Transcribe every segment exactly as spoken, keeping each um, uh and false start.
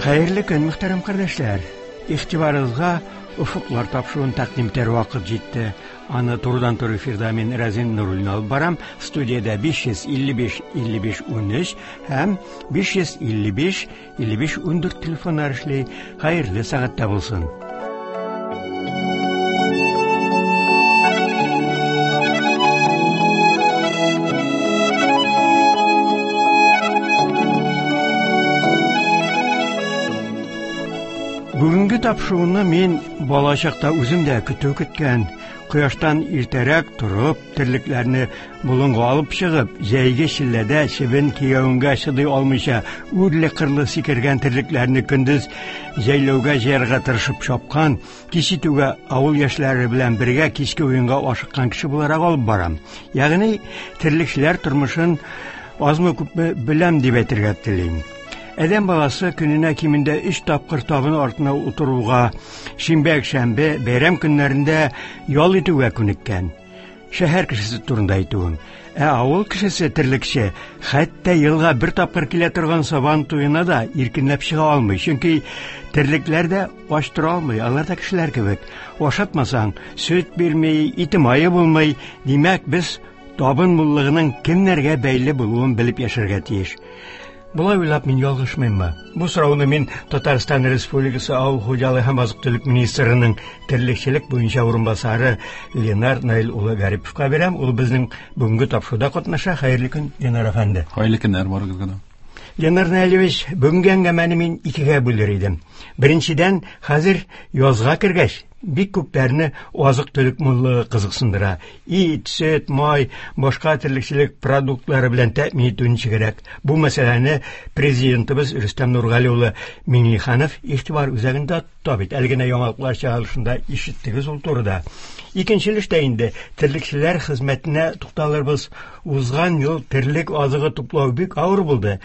Хәерле көн, мөхтәрәм кардәшләр. Игътибарыгызга Офыклар тапшыруын тәкъдим итәр вакыт җитте. Аны турыдан-туры эфирда мин Разин Нуруллин алып барам. Студиядә биш йөз илле биш илле биш унөч һәм биш йөз илле биш илле биш ундүрт телефоннар эшли. Хәерле сәгатьтә булсын. Бүгенге тапшыруны мин балачакта үзем дә көтү көткән, кояштан иртәрәк торып, терлекләрне болынга алып чыгып, җәйге челләдә чебен кигәвенгә чыдый алмыйча, үрле-кырлы сикергән терлекләрне көндез җәйләүгә җыярга тырышып чапкан, кич итүгә авыл яшьләре белән бергә кичке уенга ашыккан кеше буларак алып барам. Ягъни терлекчеләр тормышын азмы-күпме беләм дип әйтергә телим. Адәм баласы көненә кимендә өч тапкыр табын артына утыруга, шимбә-якшәмбе, бәйрәм көннәрендә ял итүгә күнеккән. Шәһәр кешесе турында әйтүем. Ә авыл кешесе терлекче, хәтта елга бер тапкыр килә торган сабан туена да иркенләп чыга алмый. Чөнки терлекләр дә ач тора алмый, алар да кешеләр кебек. Ашатмасаң, сөт бирми, ите мае булмый. Димәк, без табын муллыгының кемнәргә бәйле булуын белеп яшәргә тиеш. Болай уйлап мин ялгышмыйммы? Бу сорауны мин Татарстан Республикасы Авыл хуҗалыгы һәм азык-төлек министрының терлекчелек буенча урынбасары Ленар Наил улы Гариповка бирәм. Ул безнең бүгенге тапшыруда катнаша. Хәерле көн, Ленар әфәнде. Хәерле көннәр барыгызга да. Ленар Наилевич, бүгенге әңгәмәне мин икегә бүлер идем. Беренчедән, хәзер язга кергәч, бик күпләрне азык-төлек муллыгы кызыксындыра. Ит, сөт, май, башка терлекчелек продуктлары белән тәэмин итү ничегрәк? Бу мәсьәләне президентыбыз Рөстәм Нургали улы Миңнеханов игътибар үзәгендә тота бит. Әле генә яңалыклар чыгарылышында ишеттегез ул турыда. Икенче өлештә инде терлекчеләр хезмәтенә тукталырбыз. Узган ел терлек азыгы туплау бик авыр булды.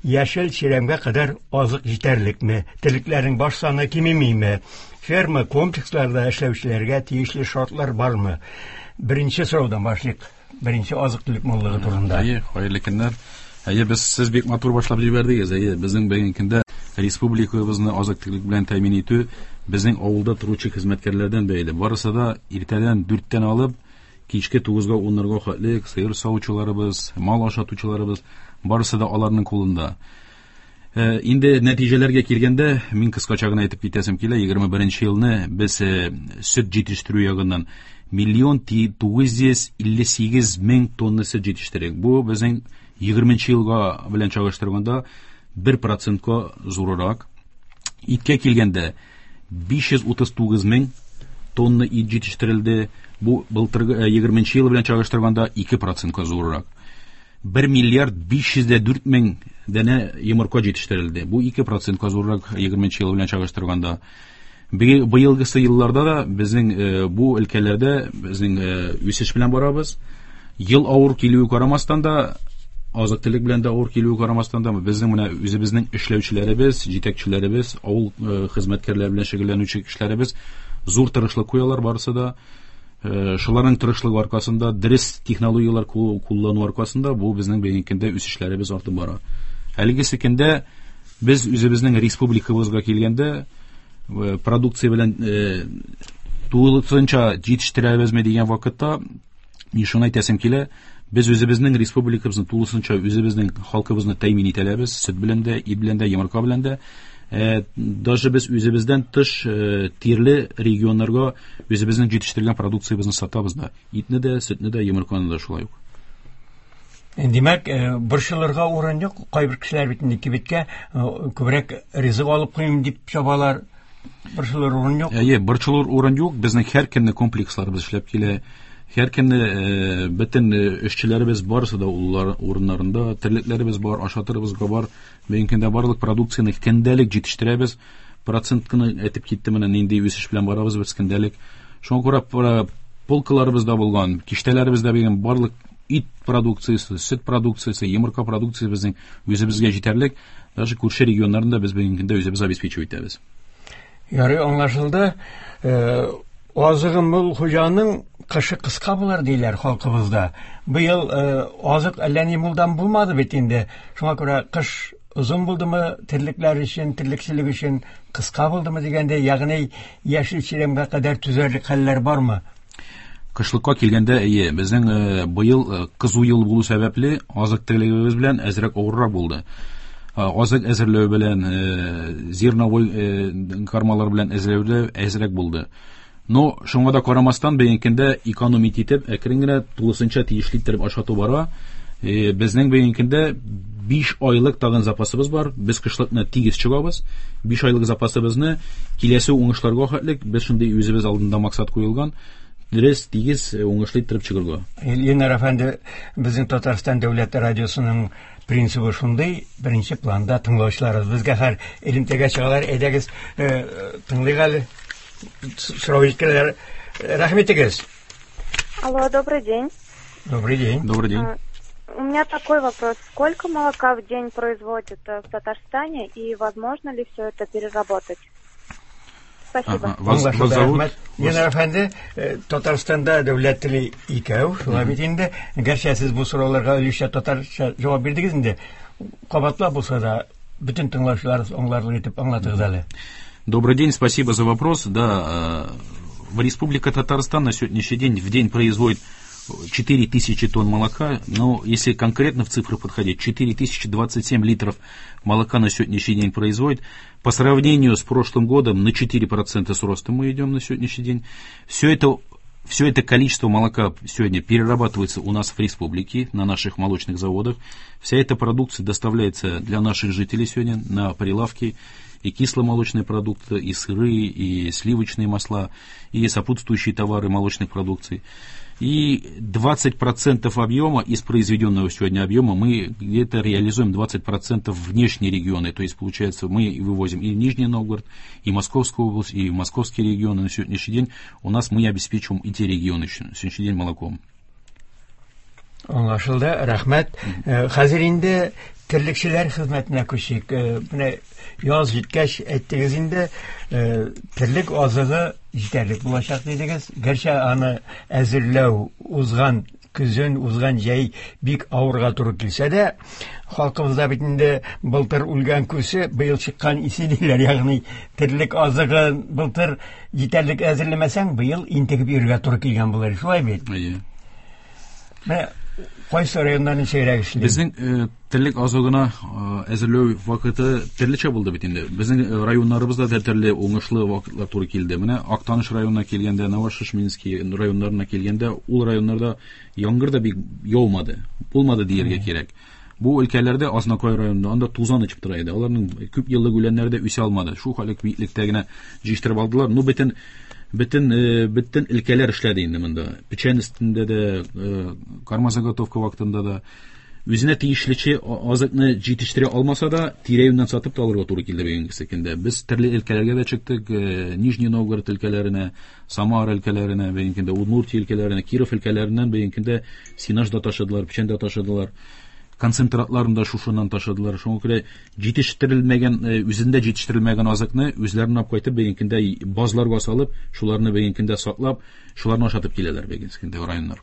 Яшел чирәмгә кадәр азык җитәрлекме? Терлекләрнең баш саны кимемиме? Ферма комплексларда эшләүчеләргә тиешле шартлар бармы? Беренче сораудан башлыйк. Беренче азык-төлек муллыгы турында. Әйе, хәерле көннәр. Әйе, без сез бик матур башлап җибәрдегез. Әйе, безнең бүгенге көндә республикабызны азык-төлек белән тәэмин итү безнең авылда торучы хезмәткәрләрдән бәйле. Барысы да иртәдән дүрттән алып кичке тугызга, уннарга хәтле сыер савучыларыбыз, мал ашатучыларыбыз, барысы да аларның кулында. Э, инде нәтиҗәләргә килгәндә, мин кыскача гына әйтеп китәсем килә. Егерме беренче елны без, э, сөт җитештерү ягыннан миллион тугыз йөз илле сигез мең тонна сөт җитештердек. Бу безнең егерменче елга белән чагыштырганда бер процентка зуррак. Иткә килгәндә биш йөз утыз тугыз мең тонна ит җитештерелде. Бу былтыргы, э, егерменче ел белән чагыштырганда ике процентка зуррак. Бер миллиард биш йөз дә дүрт мең данә йомырка җитештерелде. Бу ике процентка зуррак егерменче ел белән чагыштырганда. Быелгысы елларда да безнең, э, бу өлкәләрдә безнең, э, үсеш белән барабыз. Ел авыр килүе карамастан да, азык-төлек белән дә авыр килүе карамастан да, безнең менә үзебезнең эшләүчеләребез, җитәкчеләребез, авыл, э, хезмәткәрләре белән шөгыльләнүче кешеләребез зур тырышлык куялар барысы да. Э, шуларның тырышлыгы аркасында, дөрес технологияләр кул-, куллану аркасында бу безнең бүгенге көндә үсешләребез артып бара. Әлегесе көндә без үзебезнең республикабызга килгәндә, э, продукция белән, э, тулысынча җитештерәбезме дигән вакытта, мин шуны әйтәсем килә, без үзебезнең республикабызны тулысынча үзебезнең халкыбызны тәэмин итәләбез, сөт белән дә, ит белән дә, йомырка белән дә. Э, даже без үзебездән тыш, э, тирле регионнарга үзебезнең җитештергән продукциябезне сатабыз да. Итне дә, сөтне дә, йомырканы да шулай ук. Димәк, э, борчылырга урын юк. Кайбер кешеләр бит инде кибеткә, э, күбрәк ризык алып куйым дип чабалар. Борчылыр урын юк. Әйе, борчылыр урын юк. Безнең һәр көнне комплексларыбыз эшләп килә. Һәр көнне, э, бөтен, э, эшчеләребез барысы да уллар урыннарында, терлекләребез бар, ашатырыбызга бар. Бүгенге көндә барлык продукцияне көндәлек җитештерәбез. Процент кына әйтеп китте менә нинди үсеш белән барабыз без көндәлек. Шуңа күрә пра-, полкаларыбызда булган, киштәләребездә булган барлык ит продукциясе, сөт продукциясе, йомырка продукциясе безнең үзебезгә җитәрлек. Даже күрше регионнарында без бүгенге көндә үзебез обеспечивать итәбез. Ярый, аңлашылды. Э, азыгы мул хуҗаның кышы кыска булыр диләр халкыбызда. Быел, э, азык әллә ни мулдан булмады бит инде. Шуңа күрә кыш озын булдымы терлекләр өчен, терлекчелек өчен, кыска булдымы дигәндә, ягъни яшел чирәмгә кадәр түзәрлек хәлләр бармы? Кышлыкка килгәндә, әйе, безнең быел кызу ел булу сәбәпле азык терлегебез белән әзрәк авыррак булды. Азык әзерләү белән, зерновой кармалар белән әзерләү әзрәк булды. Но шуңа да карамастан, бүгенге көндә экономить итеп, әкрен генә тулысынча тиешле итеп ашату бара. Безнең бүгенге көндә биш айлык тагын запасыбыз бар. Без кышлыкны тигез чыгабыз. биш айлык запасыбызны киләсе уңышларга хәтлек без шундый үзебез алдында максат куелган. Дөрес, тигез уңышлы итеп чыгарга. Ленар әфәнде, безнең Татарстан дәүләт радиосының принцибы шундый, беренче планда тыңлаучыларыбыз безгә һәр элемтәгә чыгалар, әйдәгез, тыңлыйк әле. Сорау җиткерәләр. Рәхмәт итегез. Алло, добрый день. Добрый день. Добрый день. У меня такой вопрос. Сколько молока в день производят в Татарстане и возможно ли все это переработать? Спасибо. Ага. Вас, вас зовут? Ленар әфәнде, Татарстанда дәүләт теле икәү, шулай бит инде. Гәрчә сез бу сорауларга өлешчә татарча җавап бирдегез инде. Кабатлап булса да, бөтен тыңлаучылар аңларлык итеп аңлатыгыз әле. Добрый день, спасибо за вопрос. Да, в Республика Татарстан на сегодняшний день в день производит четыре тысячи тонн молока, но если конкретно в цифры подходить, четыре тысячи двадцать семь литров молока на сегодняшний день производит. По сравнению с прошлым годом на четыре процента с ростом мы идем на сегодняшний день. Все это, все это количество молока сегодня перерабатывается у нас в республике, на наших молочных заводах. Вся эта продукция доставляется для наших жителей сегодня на прилавки. И кисломолочные продукты, и сыры, и сливочные масла, и сопутствующие товары молочных продукций. И двадцать процентов объема из произведенного сегодня объема мы где-то реализуем двадцать процентов внешние регионы. То есть, получается, мы вывозим и в Нижний Новгород, и Московскую область, и московские регионы. На сегодняшний день у нас мы обеспечиваем и те регионы на сегодняшний день молоком. Аңлашылды, рәхмәт. Хәзер инде терлекчеләр хезмәтенә күчик. Менә яз җиткәч әйттегез инде, терлек азыгы җитәрлек булачак дидегез. Гәрчә аны әзерләү узган көзен, узган җәй бик авырга туры килсә дә, халкыбызда бит инде былтыр үлгән күсе быел чыккан исе диләр. Ягъни терлек азыгы былтыр җитәрлек әзерләмәсәң, быел интегеп йөрергә туры килгән булыр. Шулай бит? Әйе. Менә кайсы районнан ничегрәк эшли? Безнең терлек азыгына әзерләү вакыты төрлечә булды бит инде. Безнең районнарыбызда да төрле уңышлы вакытлар туры килде. Менә Актаныш районына килгәндә, Новошишминский районнарына килгәндә, ул районнарда яңгыр да бик яумады, булмады дияргә кирәк. Бу өлкәләрдә Азнакай районында анда тузан очып тора иде. Аларның күп еллык үләннәре дә үсә алмады. Шул хәлек биеклектә генә җыештырып алдылар. Ну, бөтен Бөтен, бөтен өлкәләр эшләде инде монда. Печән өстендә дә, карма заготовка вакытында да. Үзенә тиешлече азыкны җитештерә алмаса да, тирә-юньнән сатып та алырга туры килде бүгенге көндә. Без төрле өлкәләргә дә чыктык, Нижний Новгород өлкәләренә, Самара өлкәләренә, бүгенге көндә Удмуртия өлкәләренә, Киров өлкәләреннән бүгенге көндә сенаж да ташыдылар, печән дә ташыдылар. Концентратларын да шушыннан ташыдылар. Шуңа күрә җитештерелмәгән, үзендә җитештерелмәгән азыкны үзләренә алып кайтып, бүгенге көндә базларга салып, шуларны бүгенге көндә саклап, шуларны ашатып киләләр бүгенге көндә районнар.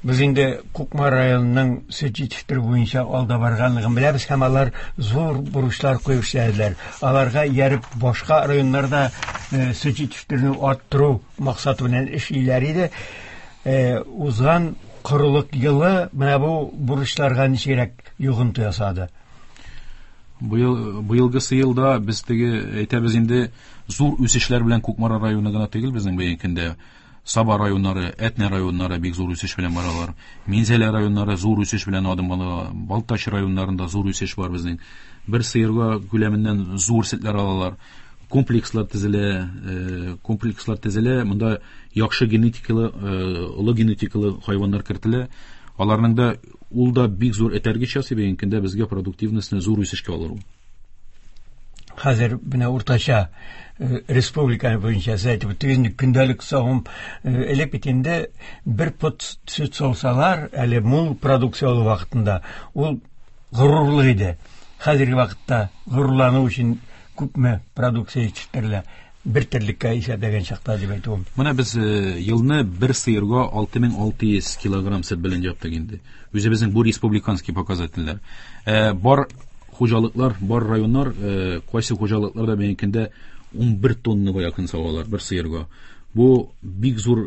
Без инде Кукмара районының сөт җитештерү буенча алда барганлыгын беләбез һәм алар зур бурычлар куеп эшләделәр. Аларга ияреп башка районнарда сөт җитештерүне арттыру максаты белән эшлиләр иде. Узган корылык елы менә бу бурычларга ничегрәк йогынты ясады? Быел, быелгысы елда без теге әйтәбез инде зур үсешләр белән Кукмара районы гына түгел, безнең бүгенге көндә Саба районнары, Әтнә районнары бик зур үсеш белән баралар. Минзәлә районнары зур үсеш белән адым ала. Балтач районнарында зур үсеш бар безнең. Бер сыерга күләменнән зур сөтләр алалар. Комплекслар төзелә, комплекслар төзелә. Монда яхшы генетикалы, олы генетикалы хайваннар кертелә. Аларның да ул да бик зур этәргеч ясый бүгенге көндә безгә продуктивностьны зур үсешкә алыр ул. Хәзер менә уртача республика буенча сез әйтеп үттегез, көндәлек савым элек бит инде бер пот сөт саусалар, әле мул продукция алу вакытында ул горурлык иде. Хәзерге вакытта горурлану өчен күпме продукция җитештерелә бер терлеккә исәпләгән чакта дип әйтүем. Менә без елны бер сыерга алты мең алты йөз килограмм сөт белән яптык инде. Үзебезнең бу республиканский показательләр. Бар хуҗалыклар, бар районнар, кайсы хуҗалыкларда бүгенге көндә ун бер тоннага якын савалар бер сыерга. Бу бик зур,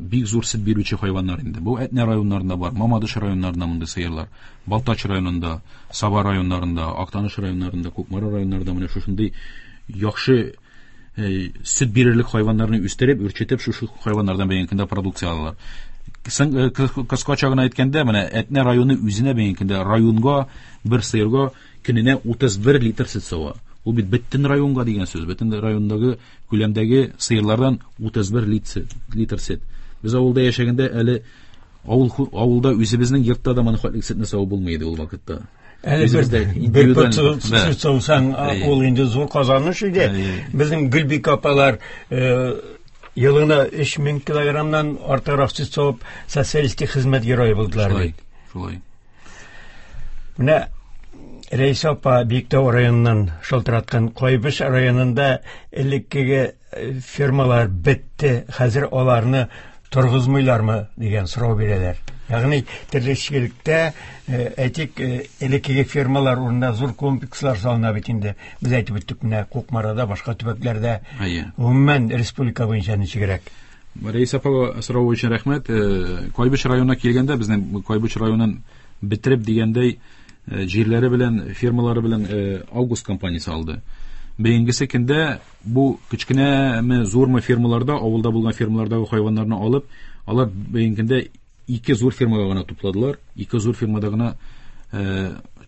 бик зур сөт бирүче хайваннар инде. Бу Әтнә районнарында бар, Мамадыш районнарында мондый сыерлар, Балтач районында, Саба районнарында, Актаныш районнарында, Кукмара районнарында менә шушындый яхшы сөт бирерлек хайваннарны үстереп, үрчетеп, шушы хайваннардан бүгенге көндә продукция алалар. Кыскача гына әйткәндә, менә Әтнә районы үзенә бүгенге көндә районга бер сыерга көненә утыз бер литр сөт сава. Ул бит бөтен районга дигән сүз, бөтен райондагы күләмдәге сыерлардан утыз бер литр сөт. Без авылда яшәгәндә әле авыл, авылда үзебезнең йортта да моны хәтлек сөтне савып булмый иде ул вакытта. Әле бер пот сөт саусаң, ул инде зур казаныш иде. Безнең Гөлбикә апалар елына өч мең килограммнан артыграк сөт савып социалистик хезмәт герое булдылар. Шулай, шулай. Менә Рәисә апа Биектау районыннан шалтыраткан. Кайбыч районында элеккеге фермалар бетте, хәзер аларны торгызмыйлармы дигән сорау бирәләр. Ягъни терлекчелектә, әйтик, элеккеге фермалар урынына зур комплекслар салына бит инде. Без әйтеп үттек, менә Кукмарада, башка төбәкләрдә, гомумән республика буенча ничегрәк? Рәисә апага сорау өчен рәхмәт. Кайбыч районына килгәндә, безнең Кайбыч районын бетереп дигәндәй, җирләре белән, фермалары белән Август компаниясе алды. Бүгенгесе көндә бу кечкенәме, зурмы фермаларда, авылда булган фермалардагы хайваннарны алып, алар бүгенге көндә ике зур фермага гына тупладылар. Ике зур фермада гына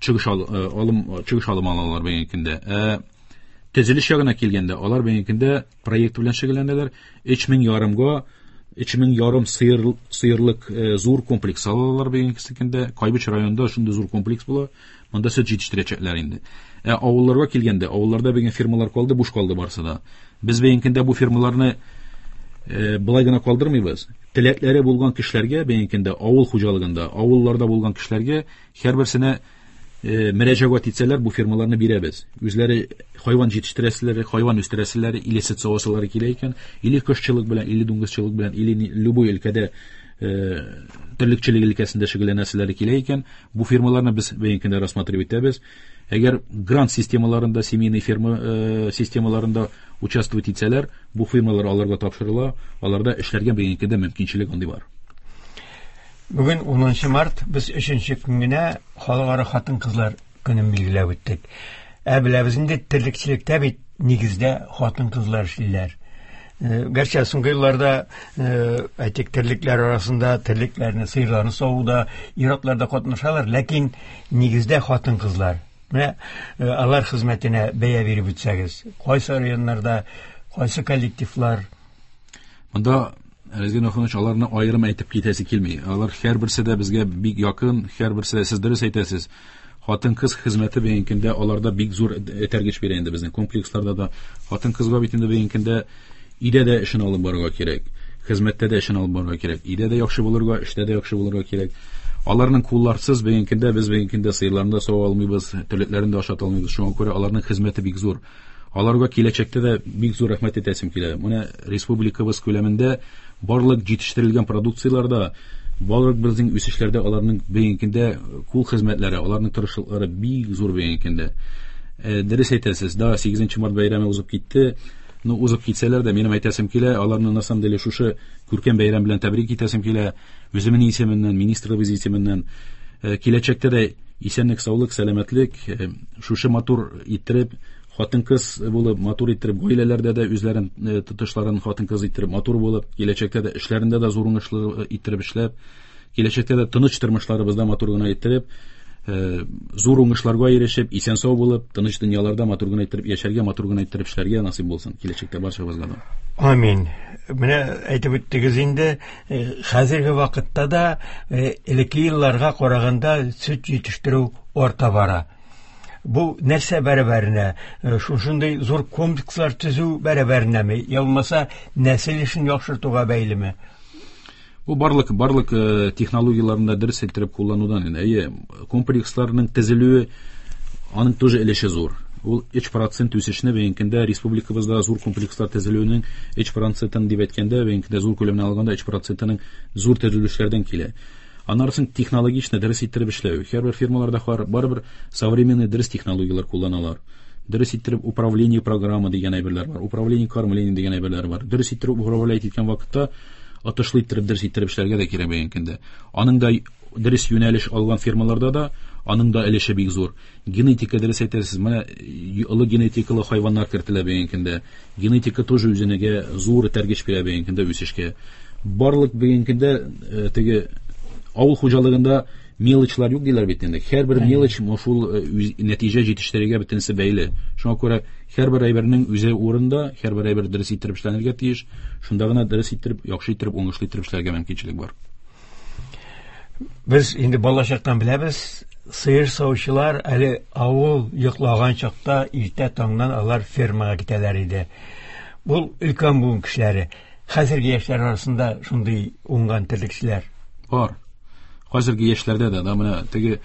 чыгыш алым, чыгыш алым алалар бүгенге көндә. Төзелеш ягына килгәндә, алар бүгенге көндә проект белән шөгыльләнәләр. Өч мең ярымга, өч мең ярым сыер, сыерлык зур комплекс алалар бүгенге көндә. Кайбыч районында шундый зур комплекс була. Монда сөт җитештерәчәкләр инде. Ә авылларга килгәндә, авылларда бүген фермалар калды, буш калды барсы да. Без бүгенге көндә бу фермаларны былай гына калдырмыйбыз. Теләкләре булган кешеләргә, бүгенге көндә авыл хуҗалыгында, авылларда булган кешеләргә һәрберсенә мөрәҗәгать итсәләр, бу фермаларны бирәбез. Үзләре хайван җитештерәселәре, хайван үстерәселәре, или сөт савасылары килә икән, или кошчылык белән, или дуңгызчылык белән, или любой өлкәдә терлекчелек өлкәсендә шөгыльләнәселәре килә икән, бу фермаларны без бүгенге көндә рассматривать итәбез. Әгәр грант системаларында, семейный ферма системаларында участвовать итсәләр, бу фермалар аларга тапшырыла, аларда эшләргә бүгенге көндә мөмкинчелек андый бар. Бүген унынчы март, без өченче көнгенә Халыкара хатын-кызлар көнен билгеләп үттек. Ә беләбез инде, терлекчелектә бит нигездә хатын-кызлар эшлиләр. Гәрчә соңгы елларда, әйтик, терлекләр арасында терлекләрне, сыерларны савуда ир-атлар да катнашалар, ләкин нигездә хатын-кызлар. Менә алар хезмәтенә бәя биреп үтсәгез, кайсы районнарда, кайсы коллективлар? Монда Резгин Ахунович, аларны аерым әйтеп китәсе килми. Алар һәрберсе дә безгә бик якын, һәрберсе дә, сез дөрес әйтәсез. Хатын-кыз хезмәте бүгенге көндә аларда бик зур этәргеч бирә инде безнең комплексларда да. Хатын-кызга бит инде бүгенге көндә өйдә дә эшен алып барырга кирәк, хезмәттә дә эшен алып барырга кирәк, өйдә дә яхшы булырга, эштә дә яхшы булырга кирәк. Аларның кулларсыз бүгенге көндә без бүгенге көндә сыерларны да сава алмыйбыз, терлекләрен дә ашата алмыйбыз. Шуңа күрә аларның хезмәте бик зур. Аларга киләчәктә дә бик зур рәхмәт әйтәсем килә. Менә республикабыз күләмендә барлык җитештерелгән продукцияләрдә, барлык безнең үсешләрдә аларның бүгенге көндә кул хезмәтләре, аларның тырышлыклары бик зур бүгенге көндә. Дөрес әйтәсез, да, сигезенче март бәйрәме узып китте. Ну, узып китсәләр дә, минем әйтәсем килә, аларны на самом деле шушы күркәм бәйрәм белән тәбрик итәсем килә. Үземнең исеменнән, министрлыгыбыз исеменнән. Киләчәктә дә исәнлек, саулык, сәламәтлек, шушы матур иттереп, хатын-кыз булып, матур иттереп, гаиләләрдә дә үзләрен тотышларын хатын-кыз иттереп, матур булып, киләчәктә дә эшләрендә дә зур уңышлы иттереп эшләп, киләчәктә дә тыныч тормышларыбызда матур гына иттереп, зур уңышларга ирешеп, исән-сау булып, тыныч дөньяларда матур гына иттереп яшәргә, матур гына иттереп эшләргә насыйп булсын киләчәктә барчабызга да. Амин. Менә әйтеп үттегез инде, хәзерге вакытта да элекке елларга караганда сөт җитештерү арта бара. Бу нәрсә бәрабәренә, шушындый зур комплекслар төзү бәрабәренәме, я булмаса нәсел эшен яхшыртуга бәйлеме? Бу барлык, барлык технологияләрне дә дөрес иттереп кулланудан инде. Әйе, комплексларның төзелүе аның тоже өлеше зур. Ул өч процент үсешне бүгенге көндә республикабызда зур комплекслар төзелүенең өч процентын дип әйткәндә, бүгенге көндә зур күләмне алганда өч процентының зур төзелешләрдән килә. Аннары соң технологично дөрес иттереп эшләү. Һәрбер фирмаларда барыбер современный дөрес технологияләр кулланалар. Дөрес иттереп управление программа дигән әйберләр бар, управление кормление дигән әйберләр бар. Дөрес иттереп управлять иткән вакытта отышлы иттереп дөрес иттереп эшләргә дә кирәк бүгенге көндә. Аның да дөрес юнәлеш алган фирмаларда да аның да өлеше бик зур. Генетика дөрес әйтәсез, менә олы генетикалы хайваннар кертелә бүгенге көндә. Генетика тоже үзенеге зур этәргеч бирә бүгенге көндә үсешкә. Барлык бүгенге көндә теге авыл хуҗалыгында мелочлар юк диләр бит инде. Һәрбер мелоч шул нәтиҗә җитештерергә бөтенесе бәйле. Шуңа күрә һәрбер әйбернең үзе урында, һәрбер әйбер дөрес иттереп эшләнергә тиеш. Шунда гына дөрес иттереп, яхшы иттереп, уңышлы иттереп эшләргә мөмкинчелек бар. Без инде балачактан беләбез, сыер савучылар әле авыл йоклаган чакта иртә таңнан алар фермага китәләр иде. Бу өлкән буын кешеләре. Хәзерге яшьләр арасында шундый уңган терлекчеләр бар. Хәзерге яшьләрдә дә, да, менә теге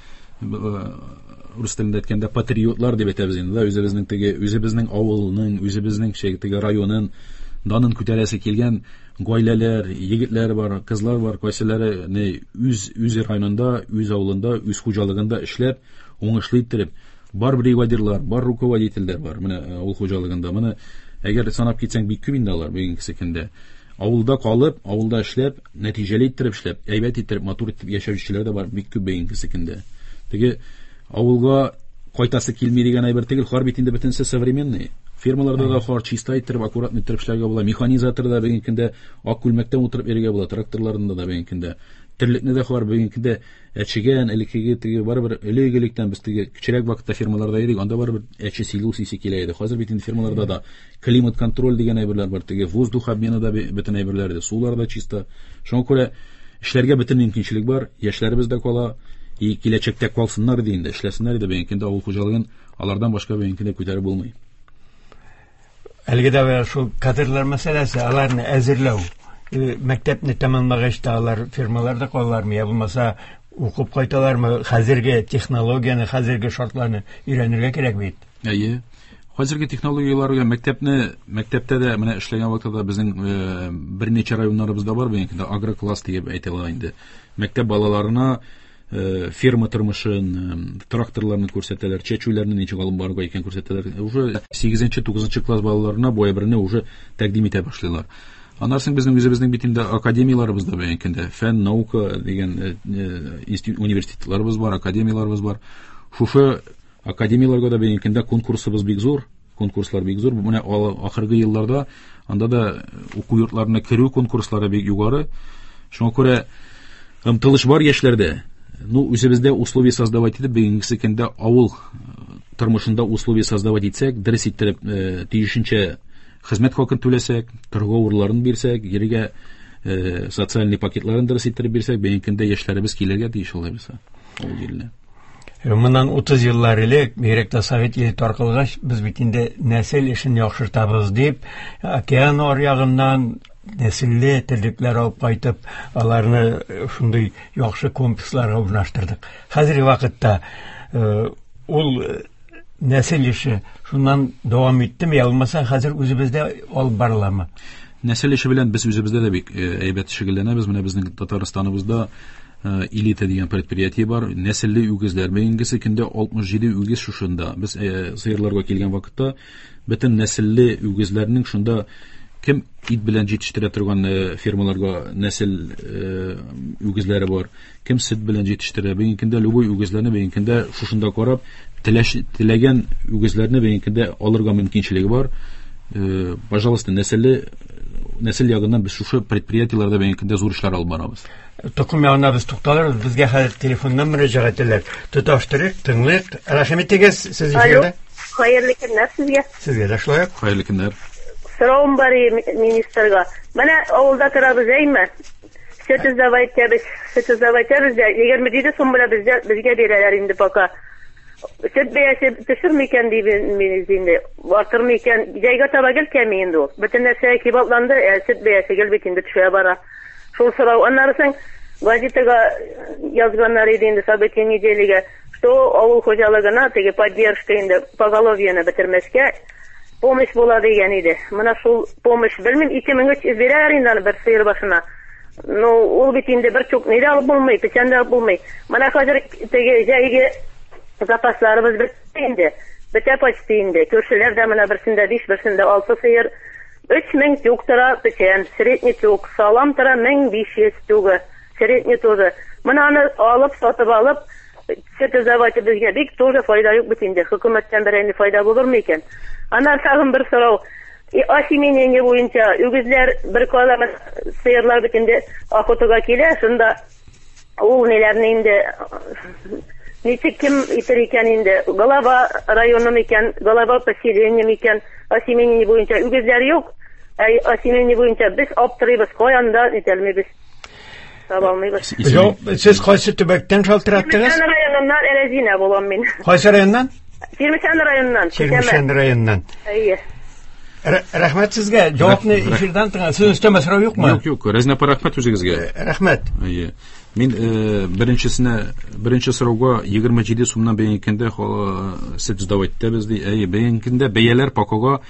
рус телендә әйткәндә патриотлар дип әйтәбез инде, да, үзебезнең теге үзебезнең авылның, үзебезнең шәй теге районын данын күтәрәсе килгән гаиләләр, егетләр бар, кызлар бар, кайсылары не үз үз районында, үз авылында, үз хуҗалыгында эшләп, уңышлы иттереп, бар бригадирлар, бар руководительләр бар. Менә авыл хуҗалыгында моны әгәр санап китсәң бик күп инде алар бүгенге көндә. Авылда калып, авылда эшләп, нәтиҗәле иттереп эшләп, әйбәт иттереп, матур итеп яшәүчеләр дә бар бик күп бүгенге көндә. Теге авылга кайтасы килми дигән әйбер түгел, хар бит инде бөтенесе современный. Фермаларда да хар чиста иттереп, аккуратно иттереп эшләргә була. Механизатор да бүгенге көндә ак күлмәктән утырып йөрергә була, тракторларында да бүгенге көндә. Терлекне дә хар бүгенге көндә әчегән, элеккеге теге барыбер элек-электән без теге кечерәк вакытта фермаларда идек, анда барыбер әче силус исе килә иде. Хәзер бит инде фермаларда да климат контроль дигән әйберләр бар, теге воздух обмены да бөтен әйберләр дә, сулар да чиста. Шуңа күрә эшләргә бөтен мөмкинчелек бар, яшьләребез дә кала, и киләчәктә калсыннар иде инде, эшләсеннәр иде бүгенге көндә авыл хуҗалыгын алардан башка бүгенге көндә күтәреп булмый. Әлеге дә шул кадрлар мәсьәләсе, аларны әзерләү, мәктәпне тәмамлагач та алар фирмаларда калалармы, я булмаса укып кайталармы? Хәзерге технологияне, хәзерге шартларны өйрәнергә кирәк бит. Әйе. Хәзерге технологияләргә мәктәпне, мәктәптә дә менә эшләгән вакытта безнең берничә районнарыбызда бар бүгенге көндә агрокласс дип әйтелә инде. Мәктәп балаларына ферма тормышын, тракторларны күрсәтәләр, чәчүләрне ничек алып барырга икән күрсәтәләр. Уже сигезенче, тугызынчы класс балаларына бу әйберне уже тәкъдим итә башлыйлар. Аннан соң безнең үзебезнең бит инде академияләребез дә бүгенге көндә фән, наука дигән университетларыбыз бар, академияләребез бар. Шушы академияләргә дә бүгенге көндә конкурсыбыз бик зур, конкурслар бик зур. Менә ахыргы елларда анда да уку йортларына керү конкурслары бик югары. Шуңа күрә омтылыш бар яшьләрдә. Ну, үзебездә условия создавать итеп, бүгенге көндә авыл тормышында условия создавать итсәк, дөрес иттереп, тиешенчә хезмәт хакын түләсәк, торгы урыннарын бирсәк, җиргә социальный пакетларын дөрес иттереп бирсәк, бүгенге көндә яшьләребез килергә тиеш алай булса авыл җиренә. Моннан утыз еллар элек, бигрәк тә Совет иле таркалгач, без бит инде нәсел эшен яхшыртабыз дип, океан аръягыннан нәселле терлекләр алып кайтып, аларны шундый яхшы комплексларга урнаштырдык. Хәзерге вакытта ул нәсел эше шуннан дәвам иттеме, я булмаса хәзер үзебездә алып барыламы? Нәсел эше белән без үзебездә дә бик әйбәт шөгыльләнәбез. Менә безнең Татарстаныбызда элита дигән предприятие бар. Нәселле үгезләр. Бүгенге көндә алтмыш җиде үгез шушында. Без сыерларга килгән вакытта бөтен нәселле үгезләрнең шунда кем ит белән җитештерә торган фермаларга нәсел үгезләре бар, кем сөт белән җитештерә. Бүгенге көндә любой үгезләрне бүгенге көндә шушында карап, теләгән үгезләрне бүгенге көндә алырга мөмкинчелеге бар. Пожалуйста, нәселле нәсел ягыннан без шушы предприятиеләрдә бүгенге көндә зур эшләр алып барабыз. Токым ягына без тукталырбыз, безгә хәзер телефоннан мөрәҗәгать итәләр. Тоташтырыйк, тыңлыйк. Рәхим итегез, сез эфирдә. Хәерле көннәр сезгә. Сезгә дә шулай ук. Хәерле көннәр. Сорауым бар министрга. Менә авылда торабыз, әйме? Сөт сдавать итәбез, сөт сдавать итәбез дә, егерме җиде сум белән безгә безгә бирәләр инде пока. Сөт бәясе төшерме икән дибез инде, артырмы икән? Җәйгә таба гел кәми инде ул. Бөтен нәрсә кыйбатланды, ә сөт бәясе гел бит инде төшә бара. Шул сорау. Аннары соң газетага язганнар иде инде событие неделягә, что авыл хуҗалыгына теге поддержка инде поголовьены бетермәскә помощь була дигән иде. Менә шул помощь белмим, ике мең өч йөз бирәләр инде аны бер сыер башына. Ну, ул бит инде бер чүк ни дә алып булмый, печән дә алып булмый. Менә хәзер теге җәйге запасларыбыз бетте инде. Бетә почти инде. Күршеләр дә менә берсендә биш, берсендә алты сыер. Өч мең тюк тора печән, средний тюк, салам тора мең биш йөз тюгы, средний тоже. Менә аны алып, сатып алып, сөт заводы безгә бик тоже файда юк бит инде. Хөкүмәттән берәр ни файда булырмы икән? Аннан тагын бер сорау. И осеменение буенча үгезләр бер кала сыерлар бит инде охотага килә, шунда ул ниләрне инде ничек кем итер икән инде, голова районы микән, голова поселение микән, осеменение буенча үгезләр юк. Ә осеменение буенча без аптырыйбыз, каян да нитәлмибез. Таба алмыйбыз. Юк, сез кайсы төбәктән шалтыраттыгыз? Чирмешән районыннан Эрәзинә булам мин. Кайсы районнан? Чирмешән районыннан. Чирмешән районыннан. Әйе. Рәхмәт сезгә. Җавапны эфирдан тыңа. Сез өстәмә сорау юкмы? Юк, юк. Рәзинә апа, рәхмәт үзегезгә. Рәхмәт. Әйе. Мин беренчесенә, беренче сорауга егерме җиде сумнан бәйгәндә сөт сдавать итәбез ди. Әйе, бәйгәндә бәяләр пакога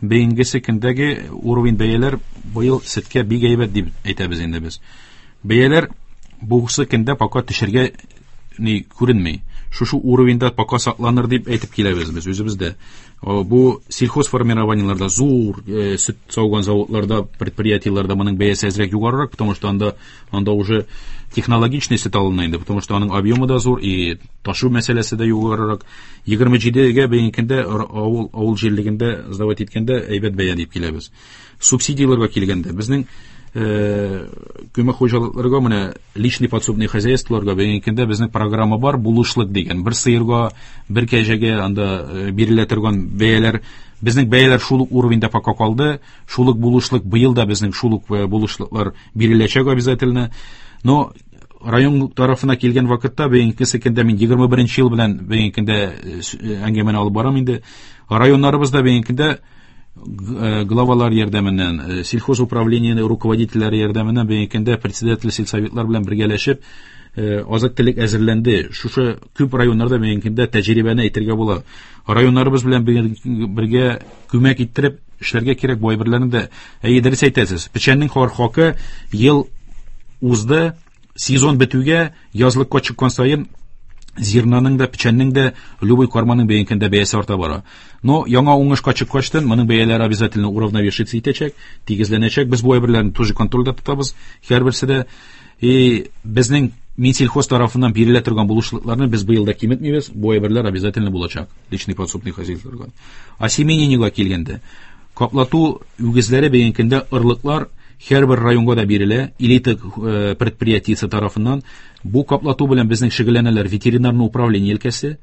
бәйгесе көндәге уровень бәяләр быел сөткә бик әйбәт дип әйтәбез инде без. Бәяләр бусы көндә пока төшергә ни күренми. Шушы уровеньда пока сакланыр дип әйтеп киләбез без үзебездә. Бу сельхозформированиеларда зур э, сөт сауган заводларда, предприятиеларда моның бәясе әзрәк югарырак, потому что анда, анда уже технологичный сөт алына инде, потому что аның объемы да зур и ташу мәсьәләсе дә югарырак. Егерме җидегә бәйгәндә авыл, авыл җирлегендә сдавать иткәндә әйбәт бәя дип киләбез. Субсидияләргә килгәндә безнең күмәк хуҗалыкларга, менә личный подсобный хозяйстволарга бәйгәндә безнең программа бар, булышлык дигән. Бер сыерга, бер кәҗәгә анда бирелә торган бәяләр, безнең бәяләр шул ук уровеньда пока калды. Шул ук булышлык быел да безнең шул ук булышлыклар биреләчәк обязательно. Но район тарафына килгән вакытта бәйгәсе көндә мин егерме беренче ел белән бәйгәндә әңгәмәне алып барам инде. Районнарыбызда бәйгәндә главалар ярдәменнән, сельхозуправлениенең руководительләре ярдәменнән бәйгәндә председатель сельсоветлар белән бергәләшеп азык-төлек әзерләнде. Шушы күп районнарда бәйгәндә тәҗрибәне әйтергә була. Районнарыбыз белән бергә күмәк иттереп эшләргә кирәк бу әйберләрне дә. Әйе, дөрес әйтәсез. Печәннең хакы ел узды, сезон бетүгә язлыкка чыккан саен зернаның да, печәннең дә, любой карманың бәйгәндә бәясе арта бара. Но яңа уңышка чыккачтан моның бәяләре обязательно уравновешиваться итәчәк, тигезләнәчәк. Без бу әйберләрне тоже контрольдә тотабыз. Һәрберсе дә и безнең Минсельхоз тарафыннан бирелә торган булышлыкларны без быел да киметмибез. Бу әйберләр обязательно булачак личный подсобный хозяйстволарга. Осеменениегә килгәндә, каплату үгезләре бәйгәндә ырлыклар һәрбер районга да бирелә, элита предприятиесе тарафыннан. Бу каплату белән безнең шөгыльләнәләр ветеринарный управление өлкәсе,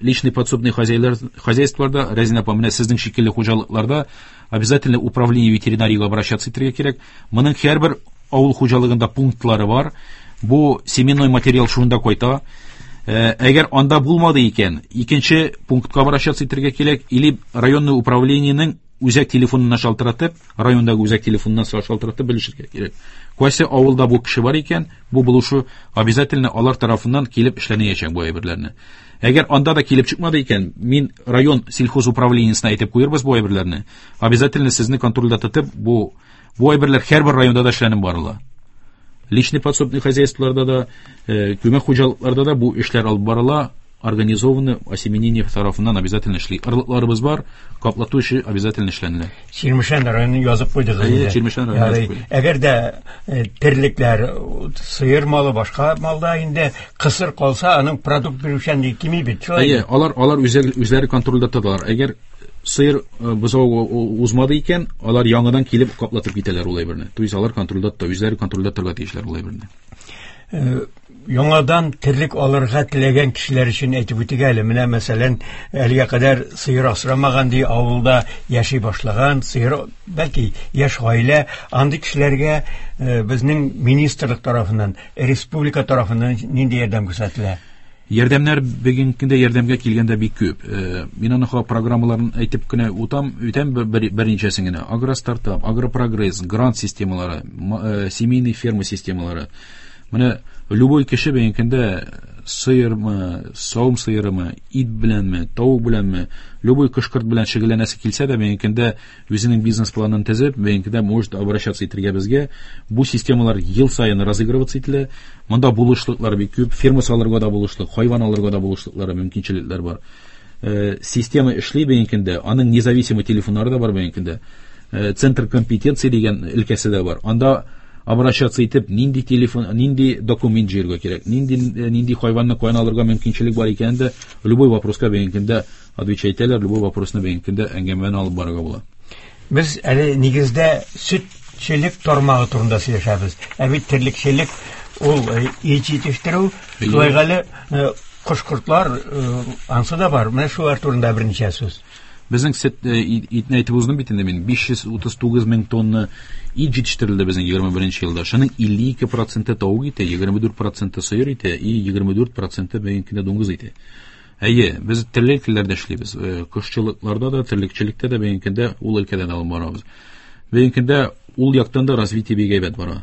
личный подсобный хозяйстволарда, Рәзинә апа, менә сезнең шикелле хуҗалыкларда обязательно управление ветеринариягә обращаться итәргә кирәк. Моның һәрбер авыл хуҗалыгында пунктлары бар. Бу семенной материал шунда кайта. Әгәр анда булмады икән, икенче пунктка обращаться итәргә кирәк, или районный управлениенең үзәк телефонына шалтыратып, райондагы үзәк телефонына шалтыратып белешергә кирәк. Кайсы авылда бу кеше бар икән, бу булышу обязательно алар тарафыннан килеп эшләнәчәк бу әйберләрне. Әгәр анда да килеп чыкмады икән, мин район сельхозуправлениесенә әйтеп куербыз бу әйберләрне. Обязательно сезне контрольдә тотып, бу, бу әйберләр һәрбер районда да эшләнеп барыла. Личный подсобный хозяйстволарда да, күмәк хуҗалыкларда да бу эшләр алып барыла. Организованное осеменение тарафыннан обязательно эшли. Ырлыкларыбыз бар, каплату эше обязательно эшләнелә. Чирмешән районын язып куйдыгыз Әйе, инде. Чирмешән районын язып Ярый. куйдык. Әгәр дә терлекләр, сыер малы, башка малда инде кысыр калса, аның продукт бирүчәнлеге кими бит, шулай Әйе, алар, алар үзләре, үзләре контрольдә тоталар. Әгәр сыер бозау узмады икән, алар яңадан килеп каплатып китәләр ул әйберне. То есть алар контрольдә тота, үзләре контрольдә торырга тиешләр ул әйберне. Яңадан терлек алырга теләгән кешеләр өчен әйтеп үтик әле. Менә мәсәлән, әлегә кадәр сыер асрамаган ди, авылда яши башлаган, сыер, бәлки яшь гаилә, андый кешеләргә, э, безнең министрлык тарафыннан, республика тарафыннан нинди ярдәм күрсәтелә? Ярдәмнәр бүгенге көндә ярдәмгә килгәндә бик күп. Э, мин аны ха программаларын әйтеп кенә үтәм, үтәм бер, бер, берничәсен генә. Агростартап, агропрогресс, грант системалары, ма-, э, семейный ферма системалары. Менә любой кеше бүгенге көндә Сыермы, савым сыерымы, ит беләнме, тавык беләнме, любой кош-корт белән шөгыльләнәсе килсә дә, бүгенге көндә үзенең бизнес-планын төзеп, бүгенге көндә может обращаться итәргә безгә. Бу системалар ел саен разыгрываться ителә. Монда булышлыклар бик күп, ферма салырга да булышлык, хайван алырга да булышлыклары, мөмкинчелекләр бар. Э, система эшли бүгенге көндә, аның независимый телефоннары да бар бүгенге көндә. Э, центр компетенции дигән өлкәсе дә бар. Анда обращаться итеп, нинди телефон, нинди документ җыярга кирәк, нинди, нинди хайванны каян алырга мөмкинчелек бар икәнен дә любой вопроска бүгенге көндә отвечать итәләр, любой вопросны бүгенге көндә әңгәмәне алып барырга була. Без әле нигездә сөтчелек тармагы турында сөйләшәбез. Ә бит терлекчелек ул, э, ит җитештерү, Әйе. шулай әле, э, кош-кортлар, э, ансы да бар. Менә шулар турында берничә сүз. Безнең сөт, э, ит, итне әйтеп уздым бит инде мин. биш йөз утыз тугыз мең тонна ит җитештерелде безнең егерме беренче елда. Шуның илле ике проценты тавык ите, егерме дүрт проценты сыер ите и егерме дүрт проценты бүгенге көндә дуңгыз ите. Әйе, без терлекләрдә эшлибез. Э, кошчылыкларда да, терлекчелектә дә бүгенге көндә ул өлкәдә дә алып барабыз. Бүгенге көндә ул яктан да развитие бик әйбәт бара.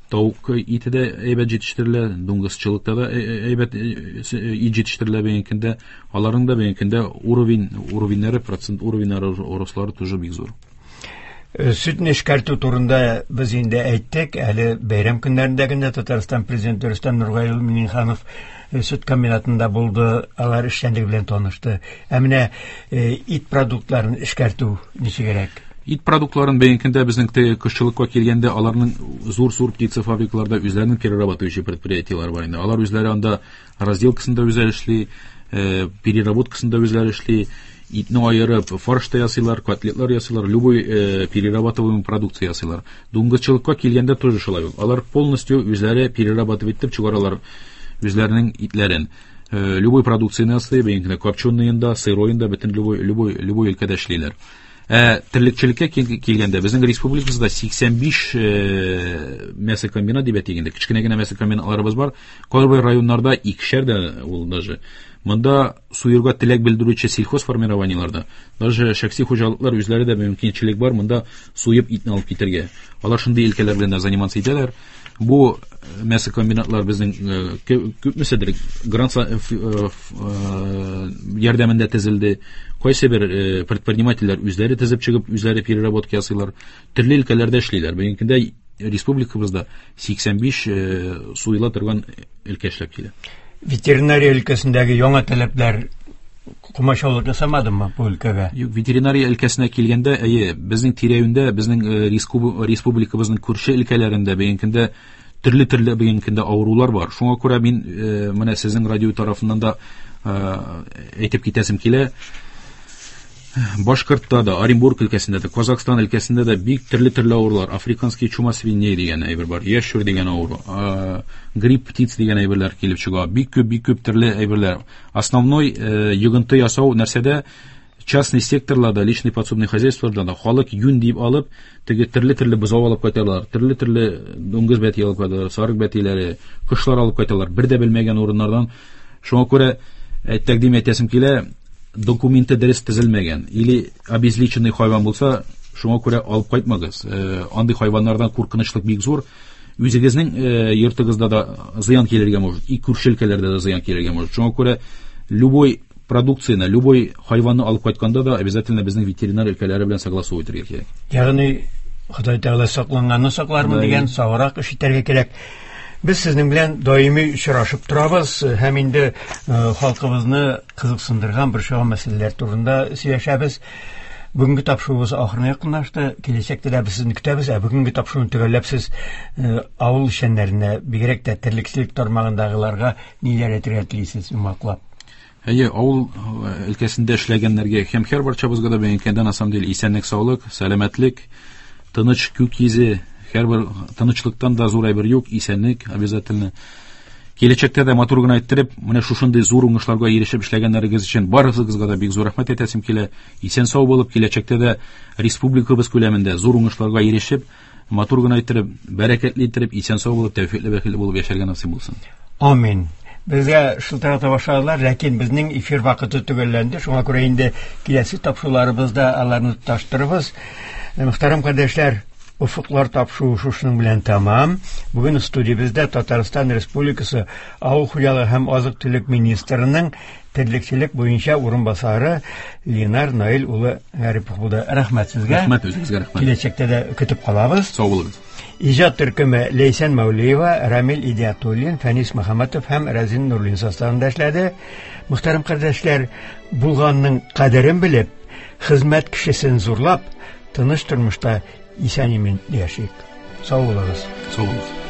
Тавык ите дә әйбәт җитештерелә, дуңгызчылыкта да ә-, ә-, әйбәт, э, с-, э, ит җитештерелә бүгенге көндә. Аларның да бүгенге көндә уровень, уровеньнәре, процент уровеньнәре, рослары тоже бик зур. Э, сөтне эшкәртү турында без инде әйттек. Әле бәйрәм көннәрендә генә Татарстан президенты Рөстәм Нургали Миңнеханов, э, сөт комбинатында булды, алар эшчәнлеге белән танышты. Ә менә, э, ит продуктларын эшкәртү ничегрәк? Ит продуктларын бүгенге көндә безнең теге кошчылыкка килгәндә аларның зур-зур птицефабрикаларда үзләренең перерабатывающий предприятиеләре бар инде. Алар үзләре анда разделкасын да үзләре эшли, э, переработкасын да үзләре эшли, итне аерып фарш та ясыйлар, котлетлар ясыйлар, любой, э, перерабатываемый продукция ясыйлар. Дуңгызчылыкка килгәндә тоже шулай ук. Алар полностью үзләре перерабатывать итеп чыгаралар үзләренең итләрен. Э, любой продукцияне ясый, бүгенге көндә копченыйын да, сыройын да, бөтен любой, любой, любой өлкәдә эшлиләр. Ә терлекчелеккә кил-, килгәндә безнең республикабызда сиксән биш, э, мясокомбинат дип әйтик инде, кечкенә генә мясокомбинатларыбыз бар. Кайбер районнарда икешәр дә ул даже. Монда суерга теләк белдерүче сельхозформированиеларда даже шәхси хуҗалыклар үзләре дә мөмкинчелек бар монда суеп итне алып китәргә. Алар шундый өлкәләр белән дә заниматься итәләр. Бу мясокомбинатлар безнең, э, кө-, күпмеседер грант са-, э, ф-, э, ф-, э, ярдәмендә төзелде. Кайсы бер, э, предпринимательләр үзләре төзеп чыгып, үзләре переработка ясыйлар. Төрле өлкәләрдә эшлиләр. Бүгенге көндә республикабызда сиксән биш, э, суела торган өлкә эшләп килә. Ветеринария өлкәсендәге яңа таләпләр комачаулык ясамадымы бу өлкәгә? Юк, ветеринария өлкәсенә килгәндә, әйе, безнең тирә-юньдә, безнең, э, рескуб-, республикабызның күрше өлкәләрендә бүгенге көндә төрле-төрле бүгенге көндә авырулар бар. Шуңа күрә мин, э, менә сезнең радио тарафыннан да, э, әйтеп китәсем килә. Башкортта да, Оренбург өлкәсендә дә, Казахстан өлкәсендә дә бик төрле-төрле авырулар. Африканский чума свиней дигән әйбер бар, ящур дигән авыру, а, грипп птиц дигән әйберләр килеп чыга. Бик күп, бик күп төрле әйберләр. Основной, э, йогынты ясау нәрсәдә? Частный секторларда, личный подсобный хозяйстволарда да халык юн дип алып, теге төрле-төрле бозау алып кайталар, төрле-төрле дуңгыз бәти алып кайталар, сарык бәтиләре, кошлар алып кайталар, бер дә белмәгән урыннардан. Шуңа күрә, э, тәкъдим итәсем килә, документы дөрес төзелмәгән или обезличенный хайван булса, шуңа күрә алып кайтмагыз. Э, андый хайваннардан куркынычлык бик зур. Үзегезнең, э, йортыгызда да зыян килергә может, и күрше өлкәләрдә дә зыян килергә может. Шуңа күрә любой продукцияне, любой хайванны алып кайтканда да обязательно безнең ветеринар өлкәләре белән согласовать итәргә кирәк. Ягъни Ходай Тәгалә сакланганны саклармын Ходай. дигән саграк эш итәргә кирәк. Без сезнең белән даими очрашып торабыз һәм инде, э, халкыбызны кызыксындырган бер чыгым мәсьәләләр турында сөйләшәбез. Бүгенге тапшыруыбыз ахырына якынлашты. Киләчәктә дә без сезне көтәбез. Ә бүгенге тапшыруны төгәлләп сез, э, авыл эшчәннәренә, бигрәк тә терлекчелек тармагындагыларга ниләр әйтергә телисез йомгаклап? Әйе, авыл, э, өлкәсендә эшләгәннәргә һәм һәр барчабызга да бүгенге көндә на самом деле исәнлек, саулык, сәламәтлек, тыныч күк йөзе, һәрбер тынычлыктан да зур әйбер юк, исәнлек обязательно. Киләчәктә дә матур гына иттереп, менә шушындый зур уңышларга ирешеп эшләгәннәрегез өчен барыгызга да бик зур рәхмәт әйтәсем килә. Исән сау булып, киләчәктә дә республикабыз күләмендә зур уңышларга ирешеп, матур гына иттереп, бәрәкәтле иттереп, исән сау булып, тәүфикле, бәхетле булып яшәргә насыйп булсын. Амин. Безгә шылтырата башладылар, ләкин безнең эфир вакыты төгәлләнде. Шуңа күрә инде киләсе тапшыруларыбызда аларны тоташтырырбыз. Мөхтәрәм кардәшләр, Офыклар тапшыруы шушының белән тәмам. Бүген студиябездә Татарстан Республикасы Авыл хуҗалыгы һәм азык-төлек министрының терлекчелек буенча урынбасары Ленар Наил улы Гарипов булды. Рәхмәт сезгә. Рәхмәт үзегезгә, рәхмәт. Киләчәктә дә көтеп калабыз. Сау булыгыз. Иҗат төркеме Ләйсән Мәүлиева, Рамил Идиатуллин, Фәнис Мөхәммәтов һәм Рәзин Нурлин составында эшләде. Мөхтәрәм кардәшләр, булганның кадерен белеп, хезмәт кешесен зурлап, тыныч тормышта исән-имин яшик. Сау булыгыз. Сау булыгыз.